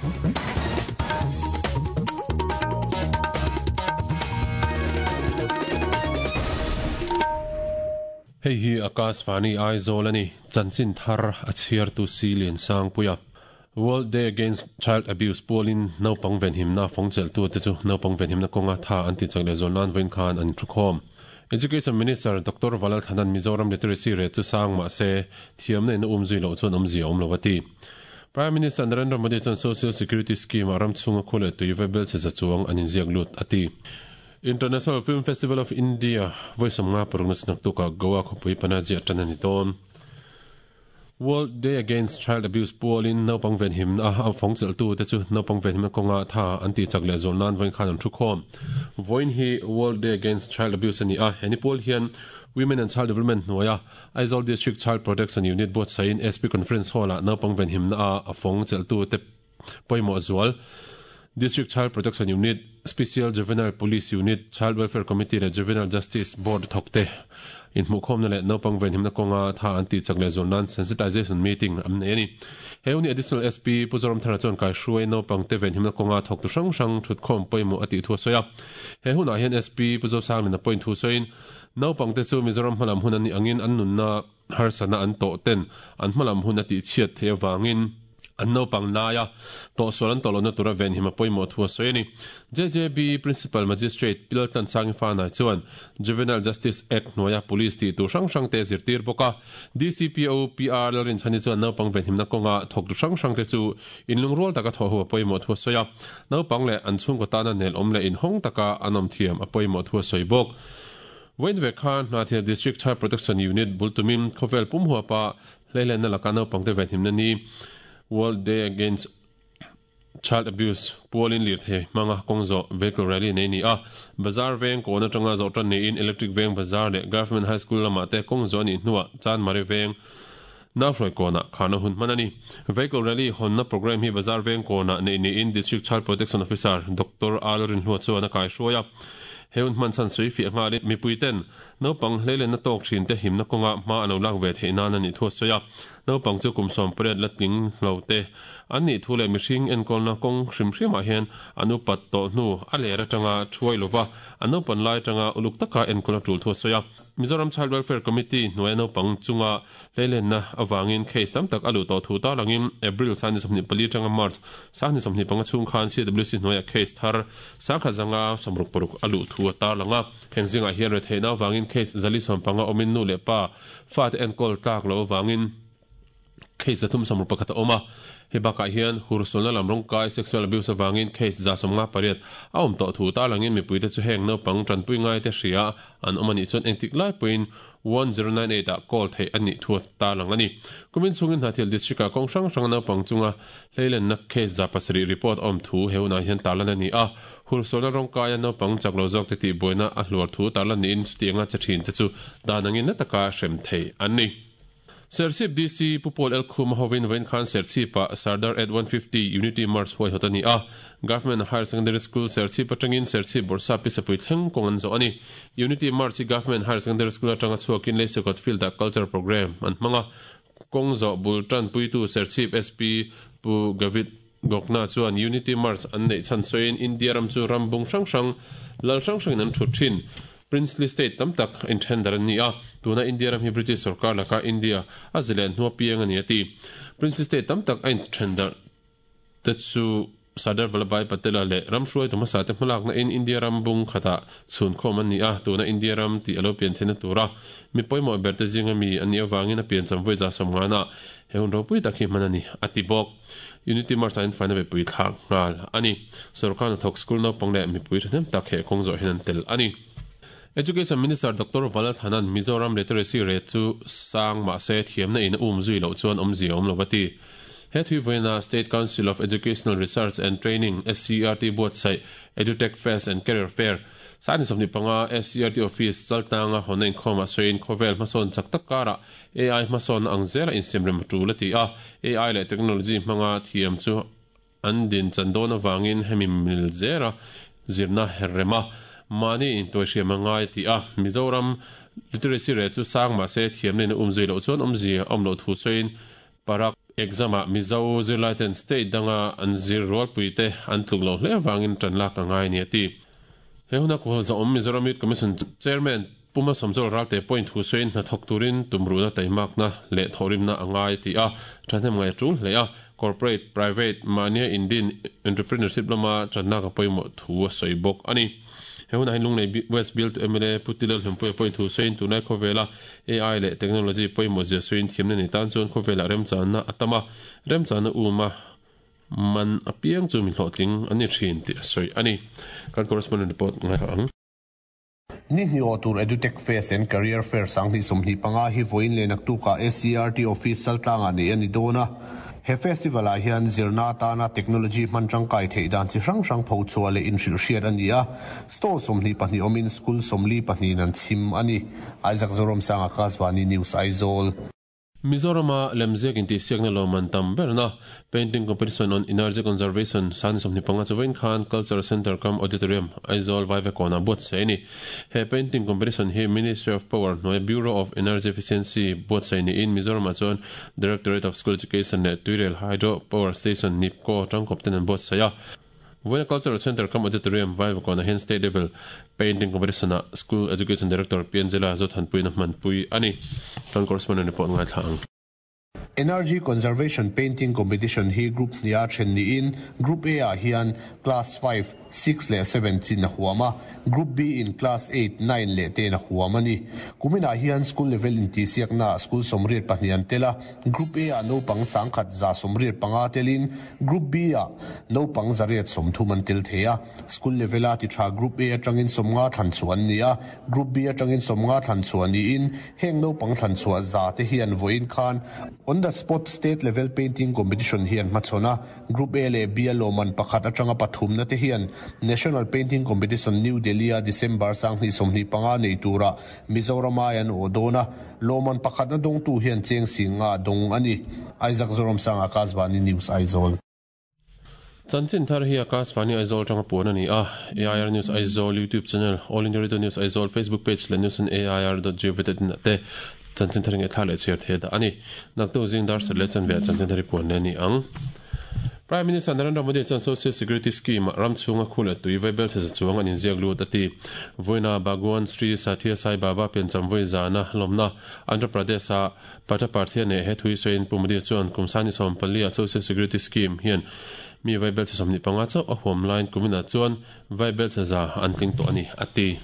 Hei hi Akashvani Aizawl a ni, chanchin thar a chhiartu si Liansangpuia. World Day Against Child Abuse pualin naupang venhimna fawngchelhtute chu naupang venhimna kawnga tha an tihchak leh zual nan vawiin khan an thukhawm. Education Minister Doctor Valal Thanan Mizoram Literacy Rate chu sang mah se thiamna in a umzui loh chuan awmzia a awm lo a ti. Prime Minister Narendra Modi chuan Social Security Scheme-ah ram chhunga khu leh tui vaibel chhe za chuang an inziak lut a ti. International Film Festival of India vawi 56 na chu naktukah Goa khawpui Panaji ah tan a ni dawn. World Day Against Child Abuse pualin naupang venhimna a fawngchelhtu te chu naupang venhimna kawnga tha an tihchak leh zual nan vawiin khan an thu khawm. Vawiin hi World Day Against Child Abuse a ni a, he ni pual hian Women and Child Development hnuaia Aizawl District Child Protection Unit buatsaihin SP Conference Hall-ah naupang venhimna a fawngchelhtu te pawimawh zual District Child Protection Unit, Special Juvenile Police Unit, Child Welfare Committee leh Juvenile Justice Board thawkte inhmuhkhawmna leh naupang venhimna kawnga tha an tihchak leh zual nan sensitization meeting an nei a ni. He uni Additional SP Pu Zoramthara chuan kaihruai naupangte venhimna kawnga thawktu hrang hrang thutkhawm pawimawh a tih thu a sawi a. He hunah hian SP Pu Zosanglina pawhin thu sawiin, Naupangte chu Mizoram hmalam hun an nih angin an nunna harsatna an tawh ten an hmalam hun a tihchhiat theih avangin an naupang laia tawhsual an tawh lohna tura venhim a pawimawh thu a sawi a ni. JJB Principal Magistrate Pilal Tlansangi Fanai chuan Juvenile Justice Act hnuaia Police tih tur hrang hrangte a zirtir bawk a. DCPO PR Lalrinchhani chuan naupang venhimna kawnga thawktu hrang hrangte chu inlungrual taka thawh ho a pawimawh thu a sawi a. Naupang leh an chhungkaw tana nelawm leh inhawng taka an awm thiam a pawimawh thu a sawi bawk. Vawiin ve khan Hnahthial District Child Protection Unit bul tumin khawvel pum huapa hleihlenna laka naupangte venhimna ni World Day Against Child Abuse pualin lirthei hmanga kawng zawh vehicle rally nei ni a. Bazar veng kawn atanga zawh tan niin Electric Veng Bazar leh Government High School lamah te kawng zawh a nih hnuah Chanmari Veng Nauhruai kawnah kharna hun hman a ni. Vehicle rally hawnna programme hi Bazar Veng kawnah neih niin District Child Protection Officer Doctor Al Rinhlua chuan a kaihruai a. He hun hman chhan sawi fiah nghalin mipuiten naupang hleilenna tawk thinte himna kawnga hma an lo lak ve theih nan a nih thu a sawi a. Naupang chu kum 18 la tling lo te an nih thu leh mihring enkawlna kawng hrim hrimah hian an upat tawh hnu a ler atanga thuai lova an naupan lai atanga uluk taka enkawl a tul thu a sawi a. Mizoram Child Welfare Committee hnuaia naupang chunga hleilenna avangin case tam tak a luh tawh thu tarlangin April 24 atanga March 25 chhung khan CWC hnuaia case thar 1056 a luh thu a tarlang a. Heng zingah hian retheihna avangin case 415 awmin nu leh pa fate enkawl tlak loh avangin case 361 a awm a. Hei bakah hian hursulna lam rawngkai, sexual abuse, avangin case 158 a awm tawh thu tarlangin mipuite chu heng naupang tanpui ngaite hria an awm a nih chuan engtik lai pawhin 1098 ah call theih a nih thu a tarlang a ni. Kumin chhungin Hnathil District-ah kawng hrang hranga naupang chunga hleilenna case 700 report a awm thu he hunah hian tarlan a ni a. Hursualna rawngkaia naupang chak lo zawkte tihbuaina a hluar thu tarlan niin chutianga che thinte chu dan angin na taka hrem thei an ni. Serchhip DC Pu Paul L. Khuma hovin vawiin khan Serchhip-ah Sardar at 150 Unity March huaihawt a ni a. Government Higher Secondary School Serchhip atangin Serchhip Bawrhsap Pisapui thleng kawng an zawh a ni. Unity March hi Government Higher Secondary School atanga chhuakin Leisekawt Field-ah Culture Programme an hmang a. Kawng zawh bul tanpuitu Serchhip SP Pu Gavit Gokna chuan Unity March an neih chhan sawiin India ram chu ram bung hrang hrang, lal hrang hrangin an thut thin. Princely state tam tak in then dar an ni a, tuna India ram hi British sorkar laka India a zilen hnua piang a ni a ti. Princely state tam tak a inthen darh te chu Sardar Vallabhbhai Patel-a leh ram hruaitu hmasa te hmalakna in India ram bung khatah chhunkhawm an ni a, tuna India ram tih a lo pian theihna tura mi pawimawh ber te zinga mi an nih avangin a piancham vawi 150ah he hun ropui tak hi hman a ni, a ti bawk. Unity March ah in faina mipui thlak nghal a ni. Sorkar hnathawk school naupang leh mipui thahnem tak he kawng zawh hian an tel a ni. Education Minister Doctor Valathanan Mizoram literacy rate chu sang mahse thiamna in a um zui loh chuan awmzia a awm lo a ti. He thui vawiina State Council of Educational Research and Training, SCERT, buatsaih Edutech Fest and Career Fair, 25 SCERT Office chaltlanga hawnna inkhawmah sawiin khawvel hmasawn chak tak karah AI hmasawnna ang zela insiamrem a tul a ti a, AI leh technology hmanga thiam chu an din chan dawn avangin hemi mil zera zirna her rem a, mahni intuaihriam a ngai a ti a. Mizoram literacy rate chu sang mahse thiamna in a umzui loh chuan awmzia a awm loh thu sawiin Parag. Exam-ah Mizo zirlaiten state danga an zir rualpuite an tluk loh hle avangin tan lak a ngai a ni a ti. He huna kuhal zahawm Mizoram Youth Commission Chairman Pu Malsawmzawl Ralte pawhin thu sawiin hnathawk turin tumruhna taimakna leh thawhrimna a ngai a ti a, thahnem ngai a tul hle a, corporate, private, mahnia indin, entrepreneurship lama tanlak a pawimawh thu a sawi bawk a ni. He hunah hian Lunglei West bialtu mla Pu Tilal Hlumpuia pawhin thu sawiin tunlai khawvela AI leh technology pawimawh zia sawiin thiamna nei tan chuan khawvelah remchanna a tam a, remchanna um a man apiang chu mi hlawhtling an ni thin tih a sawi a ni. Kan correspondent report ngaithla ang. Ni hnih awh tur Edutech Fest and Career Fair 2025 hi vawiin leh naktukah SCERT Office Saltlangah neih a ni dawn a. He festival ah hian zirna atana technology hman tangkai theih dan chi hrang hrang pho chhuah leh inhrilhhriat a ni a, stall 22 awmin school 42 in an chhim a ni. Isaac Zoramsanga, Kasvani News, Aizawl. Mizorama lemziak intihsiakna lawmman tam berna Painting Competition on Energy Conservation Sani 25 chu vawiin khan Cultural Centre cum Auditorium, Aizawl Vaivakawnah buatsaih a ni. He Painting Competition hi Ministry of Power hnuaia Bureau of Energy Efficiency buatsaih niin Mizoramah chuan Directorate of School Education leh Tuirel Hydro Power Station, NEEPCO, tangkawp ten an buatsaih a. Vawiina Cultural Centre cum Auditorium, Vaivakawnah hian State Level Painting Competition-ah School Education Director Pi Angela Zothanpuiin a hmanpui a ni. Kan correspondent report ngaithla ang. Energy Conservation Painting Competition hi Group hniha then niin Group A-ah hian Class 5, 6 leh 7 chin a huam a, Group B in Class 8, 9 leh 10 a huam a ni. Kuminah hian School Level intihsiaknaah School 82 an tel a, Group A-ah naupang 1185 telin Group B-ah naupang 130 an tel thei a. School level-a ti tha Group A atangin 50 thlan chhuah an ni a, Group B atangin 50 thlan chhuah niin heng naupang thlan chhuah za te hian vawiin khan On the spot state level painting competition hi an hmachhawn a, Group A leh B a lawmman pakhat atanga pathumna te hian National Painting Competition New Delhi-a December 2025 nei tura Mizoram ai an awh dawn a, lawmman pakhatna dawngtu hian cheng 50 dawng a ni. Isaac Zoramsanga, Akashvani News, Aizawl. Chanchin thar hi Akashvani Aizawl atanga puan a ni a, AIR News Aizawl YouTube channel, All India Radio News Aizawl Facebook page leh news on air dot gov dot in ah te chanchin thar ngaihthlak leh chhiar thei a dah a ni. Naktuk zing dar sat leh chanve ah chanchin thar hi puan leh a ni ang. Prime Minister Narendra Modi chuan Social Security Scheme ah ram chhunga khu leh tui vaibel chhe za chuang an inziak lut a ti. Vawiina Bhagwan Sri Sathya Sai Baba piancham vawi zana lawmna Andhra Pradesh-a Pataparthia neh he thui sawiin Pu Modi chuan kum sani 14 ah Social Security Scheme hian mi vaibel chhe 25 chauh a huam laiin kuminah chuan vaibel chhe za an tling tawh a ni, a ti.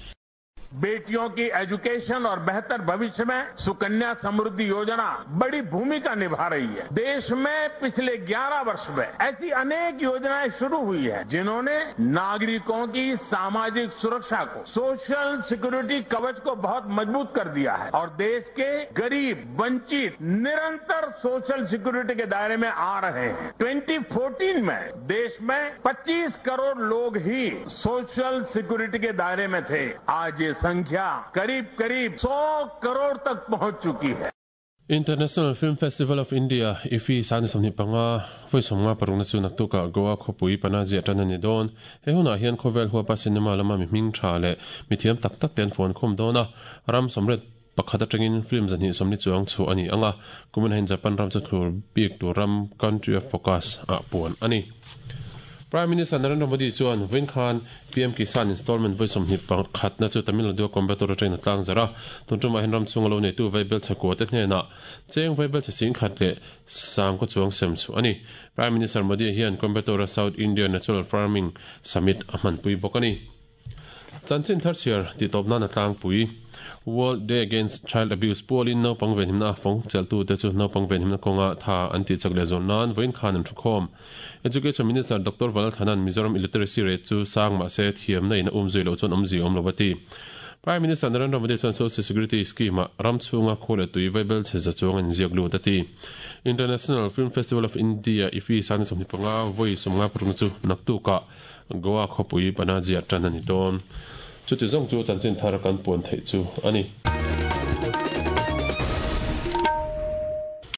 बेटियों की education और बेहतर भविष्य में सुकन्या समृद्धि योजना बड़ी भूमिका निभा रही है। देश में पिछले 11 वर्ष में ऐसी अनेक योजनाएं शुरू हुई है जिन्होंने नागरिकों की सामाजिक सुरक्षा को, सोशल सिक्योरिटी कवच को बहुत मजबूत कर दिया है और देश के गरीब, वंचित निरंतर सोशल सिक्योरिटी के दायरे में आ रहे हैं। 2014 में देश में 25 करोड़ लोग ही सोशल सिक्योरिटी के दायरे में थे। आज ये संख्या करीब करीब 100 करोड़ तक पहुंच चुकी है। International Film Festival of India, IFFI, 25 vawi 56 na chu naktukah Goa khawpui Panaji a tan a ni dawn. He hunah hian khawvel huapa cinema lama mi hming tha leh mi thiam tak tak te an fuan khawm dawn a, ram 81 atangin film 220 chuang chhuah a ni ang a, kumin hian Japan ram chu thlur bik tur ram, country of focus, ah puan a ni. Prime Minister Narendra Modi chuan vawiin khan PM Kisan Installment vawi 21 na chu Tamil Nadu-a Coimbatore atangin a tlang zarh a. Tun tumah hian ram chhunga lo neitu vaibel chhakua te hnenah cheng vaibel chhe 10,000 leh 10,000 chuang sem chhuah a ni. Prime Minister Modi hian Coimbatore-a South India Natural Farming Summit a hmanpui bawk a ni. Chanchin thar chhiar tih tawp nan a tlangpui. World Day Against Child Abuse pualin naupang venhimna a fawng chelhtute chu naupang venhimna kawnga tha an tih chak leh zawn nan vawiin khan an thukhawm. Education Minister Doctor Valalthana'n Mizoram illiteracy rate chu sang mahse thiamna in a um zui loh chuan awmzia awm lo a ti. Prime Minister Narendra Modi chuan Social Security Scheme-ah ram chhunga khaw leh tui vaibel chhe za chuang an inziak lut a ti. International Film Festival of India, IFFI, 25 vawi 55 chu naktukah Goa khawpui Panaji-ah tan a ni dawn. Chuti zawng chu chanchin thar kan puan theih chu a ni.